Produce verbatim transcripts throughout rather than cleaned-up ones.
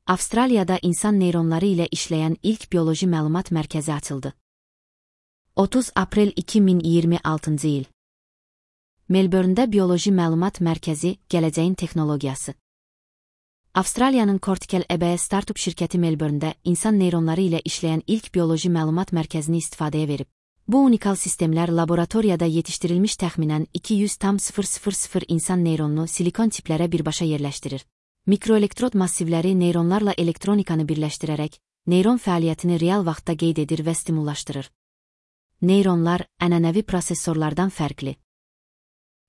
Avstraliyada insan neyronları ilə işləyən ilk bioloji məlumat mərkəzi açıldı. otuz aprel iki min iyirmi altıncı il. Melbourne'də bioloji məlumat mərkəzi, gələcəyin texnologiyası. Avstraliyanın Cortical A B startup şirkəti Melbourne'də insan neyronları ilə işləyən ilk bioloji məlumat mərkəzini istifadəyə verib. Bu unikal sistemlər laboratoriyada yetişdirilmiş təxminən iki yüz min insan neyronunu silikon tiplərə birbaşa yerləşdirir. Mikroelektrod massivləri neyronlarla elektronikanı birləşdirərək, neyron fəaliyyətini real vaxtda qeyd edir və stimullaşdırır. Neyronlar ənənəvi prosesorlardan fərqli.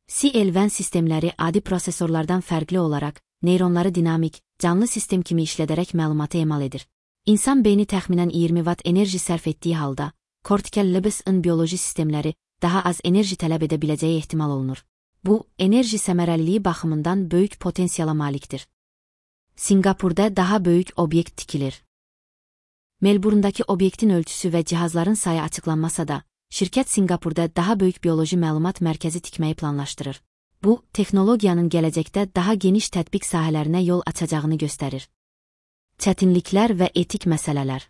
C L V N sistemləri adi prosesorlardan fərqli olaraq, neyronları dinamik, canlı sistem kimi işlədərək məlumatı emal edir. İnsan beyni təxminən iyirmi watt enerji sərf etdiyi halda, Cortical A B-ın bioloji sistemləri daha az enerji tələb edə biləcəyi ehtimal olunur. Bu, enerji səmərəliliyi baxımından böyük potensiala malikdir. Singapurda daha böyük obyekt tikilir. Melbourne'dakı obyektin ölçüsü və cihazların sayı açıqlanmasa da, şirkət Singapurda daha böyük bioloji məlumat mərkəzi tikməyi planlaşdırır. Bu, texnologiyanın gələcəkdə daha geniş tətbiq sahələrinə yol açacağını göstərir. Çətinliklər və etik məsələlər.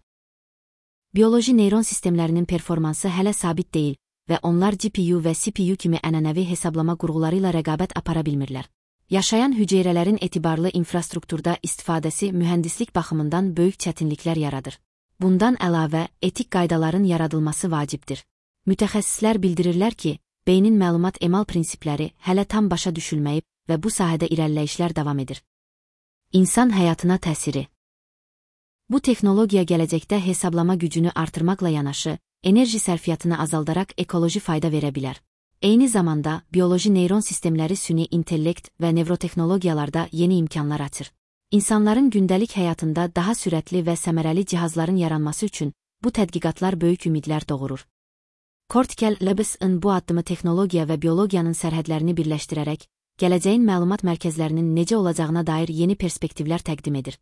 Bioloji neyron sistemlərinin performansı hələ sabit deyil və onlar G P U və C P U kimi ənənəvi hesablama qurğuları ilə rəqabət apara bilmirlər. Yaşayan hüceyrələrin etibarlı infrastrukturda istifadəsi mühəndislik baxımından böyük çətinliklər yaradır. Bundan əlavə, etik qaydaların yaradılması vacibdir. Mütəxəssislər bildirirlər ki, beynin məlumat emal prinsipləri hələ tam başa düşülməyib və bu sahədə irəliləyişlər davam edir. İnsan həyatına təsiri. Bu texnologiya gələcəkdə hesablama gücünü artırmaqla yanaşı, enerji sərfiyyatını azaldaraq ekoloji fayda verə bilər. Eyni zamanda, bioloji neyron sistemləri süni intellekt və nevrotexnologiyalarda yeni imkanlar açır. İnsanların gündəlik həyatında daha sürətli və səmərəli cihazların yaranması üçün bu tədqiqatlar böyük ümidlər doğurur. Cortical A B-ın bu addımı texnologiya və biologiyanın sərhədlərini birləşdirərək, gələcəyin məlumat mərkəzlərinin necə olacağına dair yeni perspektivlər təqdim edir.